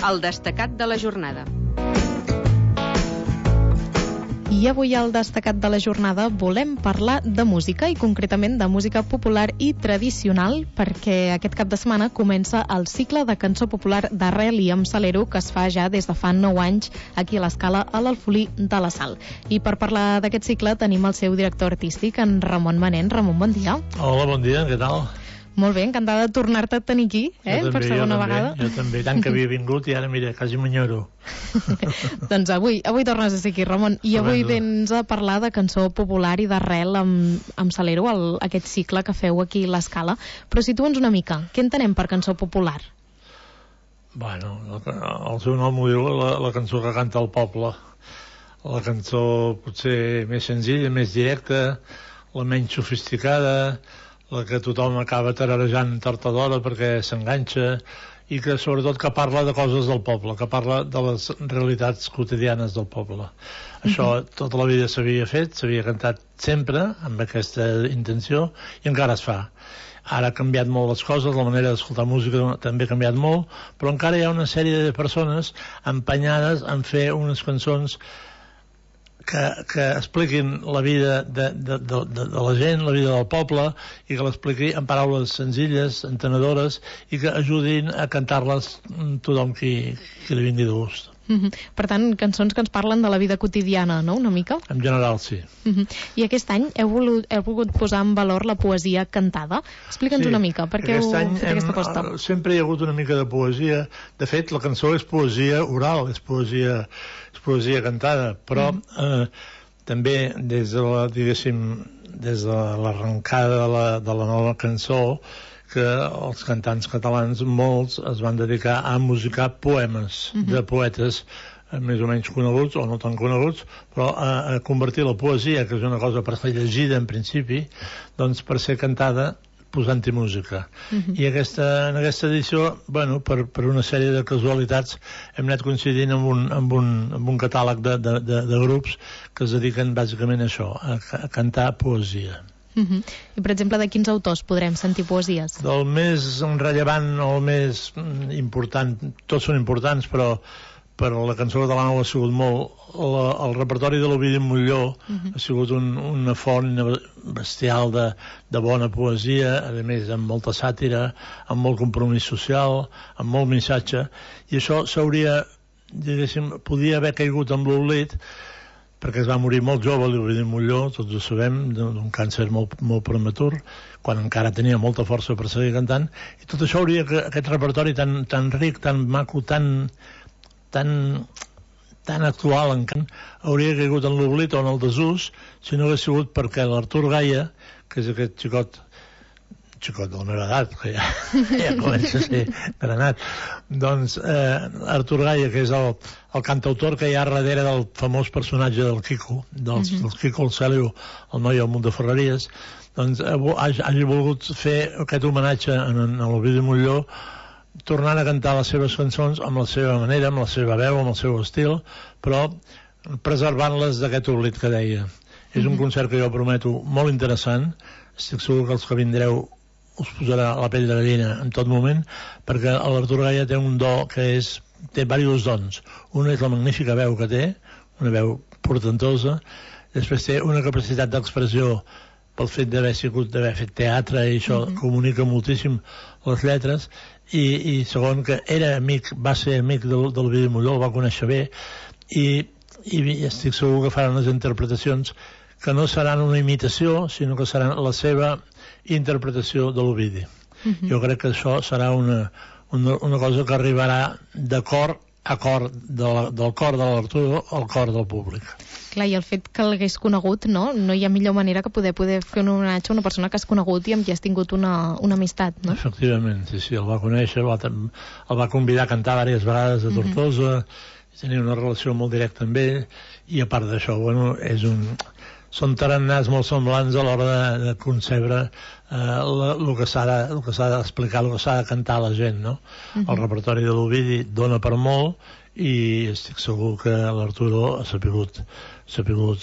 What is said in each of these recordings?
El destacat de la jornada. I avui al destacat de la jornada volem parlar de música i concretament de música popular i tradicional perquè aquest cap de setmana comença el cicle de cançó popular d'arrel i amb salero que es fa ja des de fa 9 anys aquí a l'Escala a l'Alfolí de la Sal. I per parlar d'aquest cicle tenim el seu director artístic, en Ramon Manent. Ramon, bon dia. Hola, bon dia, què tal? Molt bé, encantada de tornar-te a tenir aquí, per segona vegada. Jo també, tant que havia vingut i ara, mira, quasi m'enyoro. Doncs avui tornes a ser aquí, Ramon, i avui vens a parlar de cançó popular i d'arrel amb salero, aquest cicle que feu aquí a l'Escala. Però situa'ns una mica, què entenem per cançó popular? Bueno, el seu nom ho diu, la cançó que canta el poble. La cançó potser més senzilla, més directa, la menys sofisticada, la que tothom acaba tararejant tard o d'hora perquè s'enganxa i que sobretot que parla de coses del poble, que parla de les realitats quotidianes del poble. Això tota la vida s'havia fet, s'havia cantat sempre amb aquesta intenció i encara es fa. Ara ha canviat molt les coses, la manera d'escoltar música també ha canviat molt, però encara hi ha una sèrie de persones empenyades en fer unes cançons que expliquin la vida de la gent, la vida del poble, i que l'expliqui en paraules senzilles, entenedores, i que ajudin a cantar-les tothom qui li vingui de gust. Per tant, cançons que ens parlen de la vida quotidiana, no?, una mica? En general, sí. I aquest any heu volgut posar en valor la poesia cantada. Explica'ns una mica, per què heu fet aquesta aposta? Sempre hi ha hagut una mica de poesia. De fet, la cançó és poesia oral, és poesia cantada, però també des de l'arrencada de la nova cançó, que els cantants catalans, molts, es van dedicar a musicar poemes de poetes més o menys coneguts o no tan coneguts, però a convertir la poesia, que és una cosa per ser llegida en principi, doncs per ser cantada posant-hi música. I en aquesta edició, bueno, per una sèrie de casualitats hem anat coincidint amb un catàleg de grups que es dediquen bàsicament a això, a cantar poesia. I per exemple, de quins autors podrem sentir poesies? Del més rellevant o el més important, tots són importants, però la cançó catalana ho ha sigut molt. El repertori de l'Ovidi Montllor ha sigut una font bestial de bona poesia, a més amb molta sàtira, amb molt compromís social, amb molt missatge, i això s'hauria, diguéssim, podia haver caigut en l'oblit, perquè es va morir molt jove l'Ovidi Montllor, tots ho sabem, d'un càncer molt prematur, quan encara tenia molta força per seguir cantant, i tot això hauria, aquest repertori tan ric, tan maco, tan actual encant, hauria caigut en l'oblit o en el desús si no hagués sigut perquè l'Artur Gaia, que és aquest xicot de la meva edat, que ja comença a ser granat, doncs Artur Gaia, que és el cantautor que hi ha darrere del famós personatge del Quico, del Quico el Cèlio, el noi al munt de Ferreries, doncs hagi volgut fer aquest homenatge a l'Ovidi Montllor, tornant a cantar les seves cançons amb la seva manera, amb la seva veu, amb el seu estil, però preservant-les d'aquest oblit que deia. És un concert que jo prometo molt interessant, estic segur que els que vindreu us posarà la pell de gallina en tot moment, perquè l'Artur Gaia té un do que té diversos dons. Un és la magnífica veu que té, una veu portentosa, després té una capacitat d'expressió pel fet d'haver fet teatre, i això comunica moltíssim les lletres, i segon, que va ser amic del Ovidi Montllor, el va conèixer bé, i estic segur que faran les interpretacions que no seran una imitació, sinó que seran la seva interpretació de l'Ovidi. Jo crec que això serà una cosa que arribarà de cor a cor, del cor de l'Arturo al cor del públic. Clar, i el fet que l'hagués conegut, no hi ha millor manera que poder fer un homenatge a una persona que has conegut i amb qui has tingut una amistat, no? Efectivament, sí, el va conèixer, el va convidar a cantar diverses vegades a Tortosa, tenia una relació molt directa amb ell, i a part d'això, bueno, són tarannars molt semblants a l'hora de concebre el que s'ha d'explicar, el que s'ha de cantar a la gent, no? El repertori de l'Ovidi dona per molt, i estic segur que l'Arturo ha sabut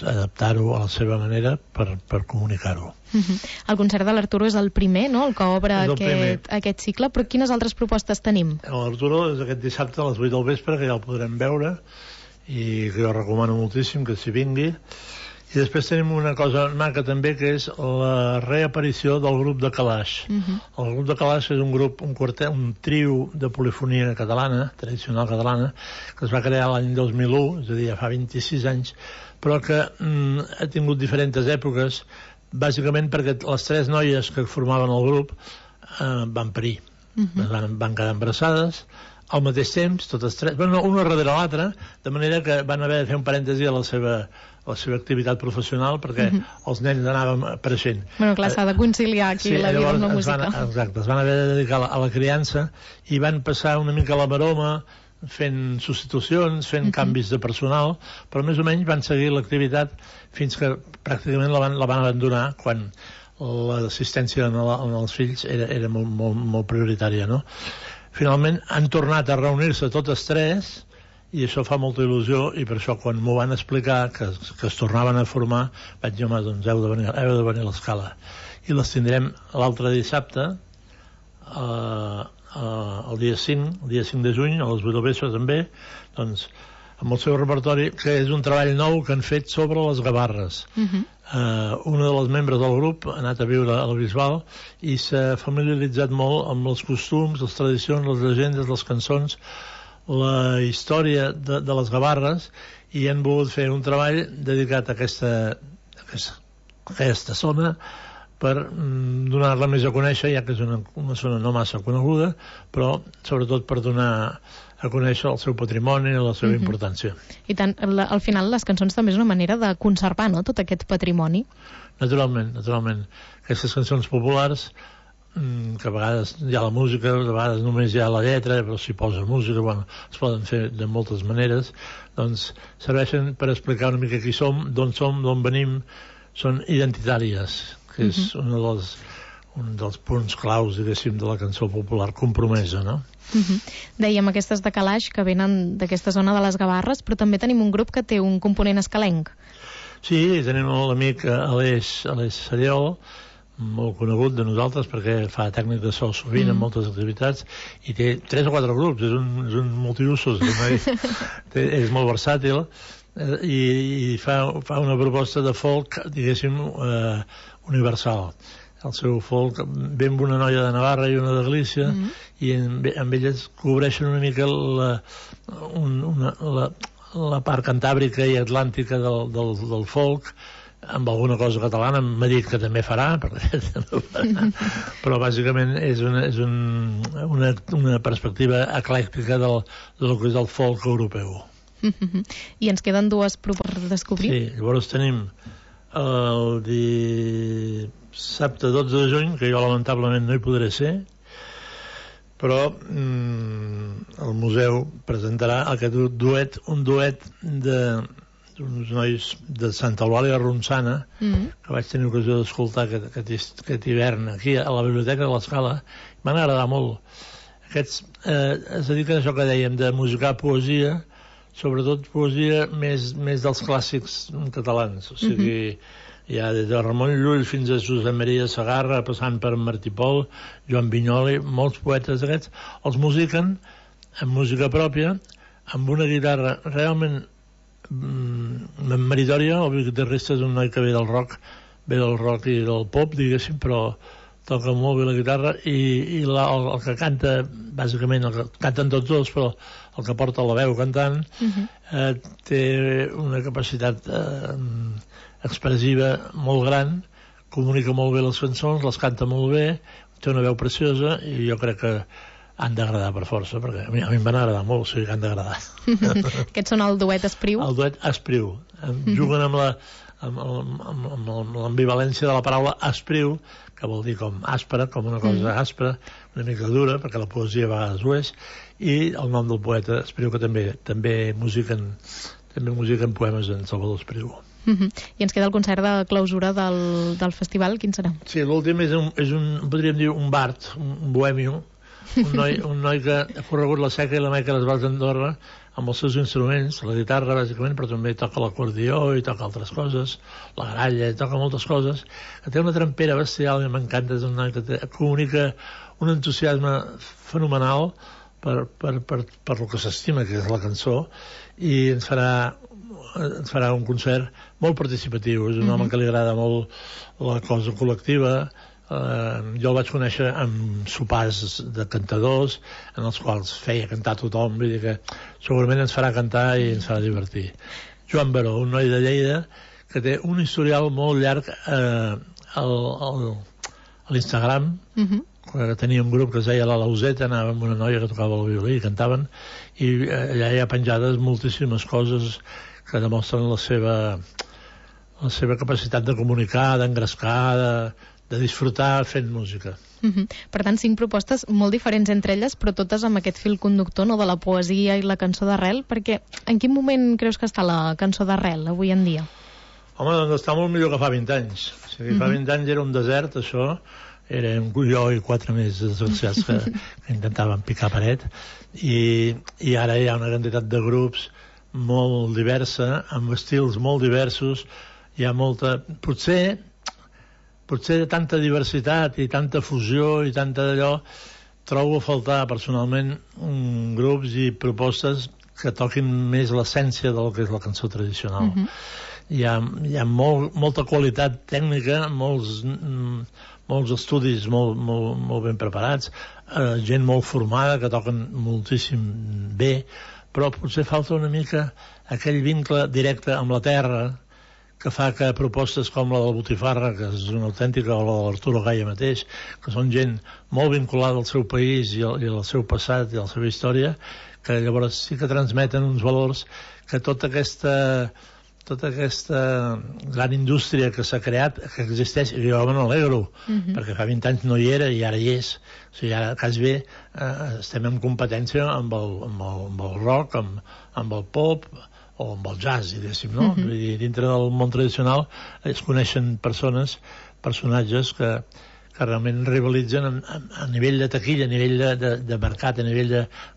adaptar-ho a la seva manera per comunicar-ho. El concert de l'Arturo és el primer, no?, el que obre aquest cicle, però quines altres propostes tenim? L'Arturo és aquest dissabte a les 8 del vespre, que ja el podrem veure, i que jo recomano moltíssim que s'hi vingui. I després tenim una cosa maca també, que és la reaparició del grup de Calaix. El grup de Calaix és un grup, un trio de polifonia catalana, tradicional catalana, que es va crear l'any 2001, és a dir, ja fa 26 anys, però que ha tingut diferents èpoques, bàsicament perquè les 3 noies que formaven el grup van parir. Van quedar embarassades al mateix temps, totes 3, bueno, una darrere l'altra, de manera que van haver de fer un parèntesi a la seva activitat professional, perquè els nens anaven apareixent. Bueno, clar, s'ha de conciliar aquí la vida amb la música. Exacte, es van haver de dedicar a la criança i van passar una mica la maroma fent substitucions, fent canvis de personal, però més o menys van seguir l'activitat fins que pràcticament la van abandonar quan l'assistència als fills era molt prioritària, no? Finalment han tornat a reunir-se totes 3 i això fa molta il·lusió, i per això quan m'ho van explicar que es tornaven a formar vaig dir, home, doncs heu de venir a l'Escala, i les tindrem l'altre dissabte el dia 5 de juny a les 8 del vespre també, doncs amb el seu repertori, que és un treball nou que han fet sobre les gavarres. Una de les membres del grup ha anat a viure a la Bisbal i s'ha familiaritzat molt amb els costums, les tradicions, les llegendes, les cançons, la història de les gavarres, i han volgut fer un treball dedicat a aquesta zona per donar-la més a conèixer, ja que és una zona no massa coneguda, però sobretot per donar a conèixer el seu patrimoni i la seva importància. I tant, al final les cançons també és una manera de conservar, no?, tot aquest patrimoni. Naturalment. Aquestes cançons populars, que a vegades hi ha la música, a vegades només hi ha la lletra, però s'hi posa música, bueno, es poden fer de moltes maneres, doncs serveixen per explicar una mica qui som, d'on venim, són identitàries, que és un dels punts claus, diguéssim, de la cançó popular compromesa, no? Dèiem aquestes de Calaix que venen d'aquesta zona de les Gavarres, però també tenim un grup que té un component escalenc. Sí, tenim l'amic Aleix Seriol, molt conegut de nosaltres perquè fa tècnic de so sovint en moltes activitats, i té 3 o 4 grups, és un multiusos, és molt versàtil, i fa una proposta de folk, diguéssim, universal. El seu folk ve amb una noia de Navarra i una de Galícia, i amb elles cobreixen una mica la part cantàbrica i atlàntica del folk, amb alguna cosa catalana. M'ha dit que també farà, però bàsicament és una perspectiva eclèctica del que és el folk europeu. I ens queden 2 propostes per descobrir? Sí, llavors tenim el dissabte 12 de juny, que jo lamentablement no hi podré ser, però el museu presentarà un duet d'uns nois de Santa Eulàlia Ronçana, que vaig tenir ocasió d'escoltar aquest hivern aquí a la Biblioteca de l'Escala. M'han agradat molt. Aquests es dediquen a això que dèiem, de musicar poesia, sobretot poesia més dels clàssics catalans, o sigui, ja des de Ramon Llull fins a Josep Maria Segarra, passant per Martí Pol, Joan Vinyoli, molts poetes d'aquests, els musiquen amb música pròpia, amb una guitarra realment meritòria. El guitarrista és un noi que ve del rock i del pop, diguéssim, però toca molt bé la guitarra, i el que canta, bàsicament, el que canten tots dos, però el que porta la veu cantant, té una capacitat expressiva molt gran, comunica molt bé les cançons, les canta molt bé, té una veu preciosa, i jo crec que han d'agradar per força, perquè a mi em van agradar molt, o sigui que han d'agradar. Aquests són el duet Espriu? El duet Espriu. Juguen amb l'ambivalència de la paraula espriu, que vol dir com àspera, com una cosa àspera, una mica dura, perquè la poesia a vegades ho és, i el nom del poeta Espriu, que també musiquen poemes en Salvador Espriu. I ens queda el concert de clausura del festival, quin serà? Sí, l'últim és podríem dir un bard, un bohemio, un noi que ha corregut la Seca i la Meca a les Valls d'Andorra amb els seus instruments, la guitarra bàsicament, però també toca l'acordió i toca altres coses, la gralla, i toca moltes coses, que té una trempera bestial i m'encanta, és un noi que comunica un entusiasme fenomenal per el que s'estima, que és la cançó, i ens farà un concert molt participatiu. És un home que li agrada molt la cosa col·lectiva. Jo el vaig conèixer amb sopars de cantadors en els quals feia cantar tothom, vull dir que segurament ens farà cantar i ens farà divertir. Joan Baró, un noi de Lleida que té un historial molt llarg a l'Instagram, que tenia un grup que es deia La Lauseta, anava amb una noia que tocava el violí i cantaven, i allà hi ha penjades moltíssimes coses que demostren la seva capacitat de comunicar, d'engrescar, de disfrutar fent música. Per tant, 5 propostes molt diferents entre elles, però totes amb aquest fil conductor, no?, de la poesia i la cançó d'arrel, perquè en quin moment creus que està la cançó d'arrel avui en dia? Home, doncs està molt millor que fa 20 anys. O sigui, fa 20 anys era un desert, això. Érem jo i 4 més desgraciats que intentaven picar paret. I ara hi ha una quantitat de grups molt diversa, amb estils molt diversos. Hi ha molta... Potser tanta diversitat i tanta fusió i tanta d'allò, trobo a faltar personalment grups i propostes que toquin més l'essència del que és la cançó tradicional. Hi ha molta qualitat tècnica, molts estudis molt ben preparats, gent molt formada que toquen moltíssim bé, però potser falta una mica aquell vincle directe amb la terra que fa que propostes com la del Botifarra, que és una autèntica, o la de l'Arturo Gaya mateix, que són gent molt vinculada al seu país i al seu passat i a la seva història, que llavors sí que transmeten uns valors que tota aquesta gran indústria que s'ha creat, que existeix, i jo me n'alegro, perquè fa 20 anys no hi era i ara hi és. O sigui, ara, quasi bé, estem en competència amb el rock, amb el pop, o amb el jazz, diguéssim, no? I dintre del món tradicional es coneixen personatges que realment rivalitzen a nivell de taquilla, a nivell de mercat, a nivell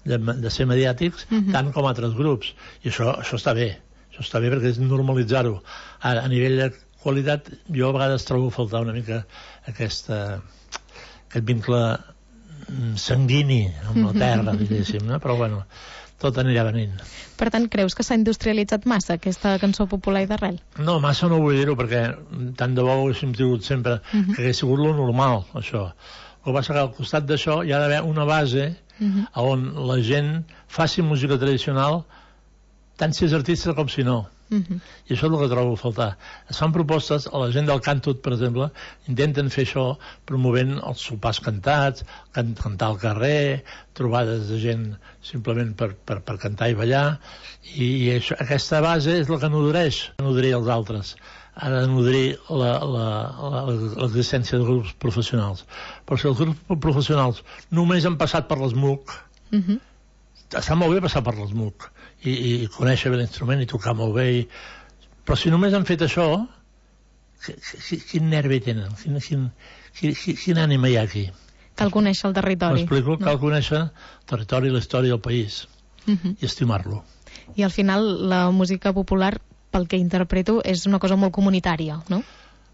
de ser mediàtics, tant com altres grups. I això està bé. Això està bé perquè és normalitzar-ho. Ara, a nivell de qualitat, jo a vegades trobo a faltar una mica aquest vincle sanguini amb la terra, diguéssim, no? Però bueno, tot anirà venint. Per tant, creus que s'ha industrialitzat massa aquesta cançó popular i d'arrel? No, massa no vull dir-ho, perquè tant de bo ho haguéssim tingut sempre, que hagués sigut lo normal, això. El que passa que al costat d'això hi ha d'haver una base on la gent faci música tradicional, tant si és artista com si no. I això és el que trobo a faltar. Es fan propostes, a la gent del Cantut, per exemple, intenten fer això promovent els sopars cantats, cantar al carrer, trobades de gent simplement per cantar i ballar, i aquesta base és la que nodrir els altres, ha de nodrir l'existència de grups professionals. Però si els grups professionals només han passat per l'SMUC, està molt bé passar per l'SMUC i conèixer bé l'instrument i tocar molt bé, però si només han fet això, quin nervi tenen, quin ànima hi ha aquí? Cal conèixer el territori. M'explico, cal conèixer el territori, la història del país i estimar-lo. I al final la música popular, pel que interpreto, és una cosa molt comunitària, no?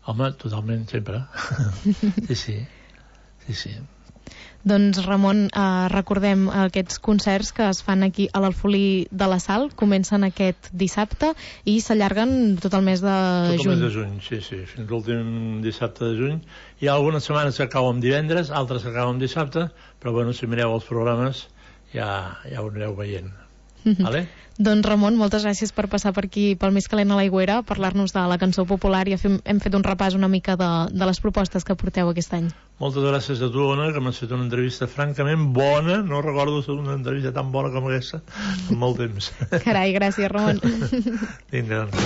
Home, totalment, sempre. Sí. Doncs, Ramon, recordem aquests concerts que es fan aquí a l'Alfolí de la Sal, comencen aquest dissabte i s'allarguen tot el mes de juny. Tot el mes de juny, sí, fins l'últim dissabte de juny. Hi ha algunes setmanes que acaben divendres, altres que acaben dissabte, però bueno, si mireu els programes ja ho anireu veient. Vale? Doncs, Ramon, moltes gràcies per passar per aquí, pel Més Calent a l'Aigüera, parlar-nos de la cançó popular, i hem fet un repàs una mica de les propostes que porteu aquest any. Moltes gràcies a tu, Ona, que m'has fet una entrevista francament bona. No recordo una entrevista tan bona com aquesta en molt temps. Carai, gràcies, Ramon. Vinga, doncs,